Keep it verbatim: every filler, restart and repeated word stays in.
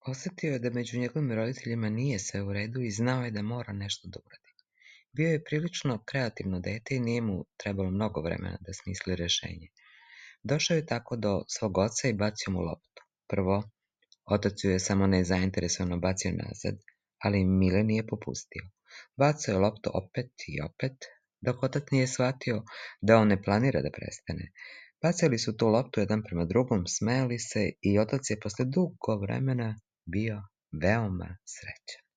Osetio je da među njegovim roditeljima nije sve u redu i znao je da mora nešto da uradi. Bio je prilično kreativno dete i nije mu trebalo mnogo vremena da smisli rešenje. Došao je tako do svog oca i bacio mu loptu. Prvo, otac ju je samo nezainteresovano bacio nazad, ali Mile nije popustio. Bacao je loptu opet i opet, dok otac nije shvatio da on ne planira da prestane. Bacali su tu loptu jedan prema drugom, smejali se i otac je posle dugo vremena bio veoma srećan.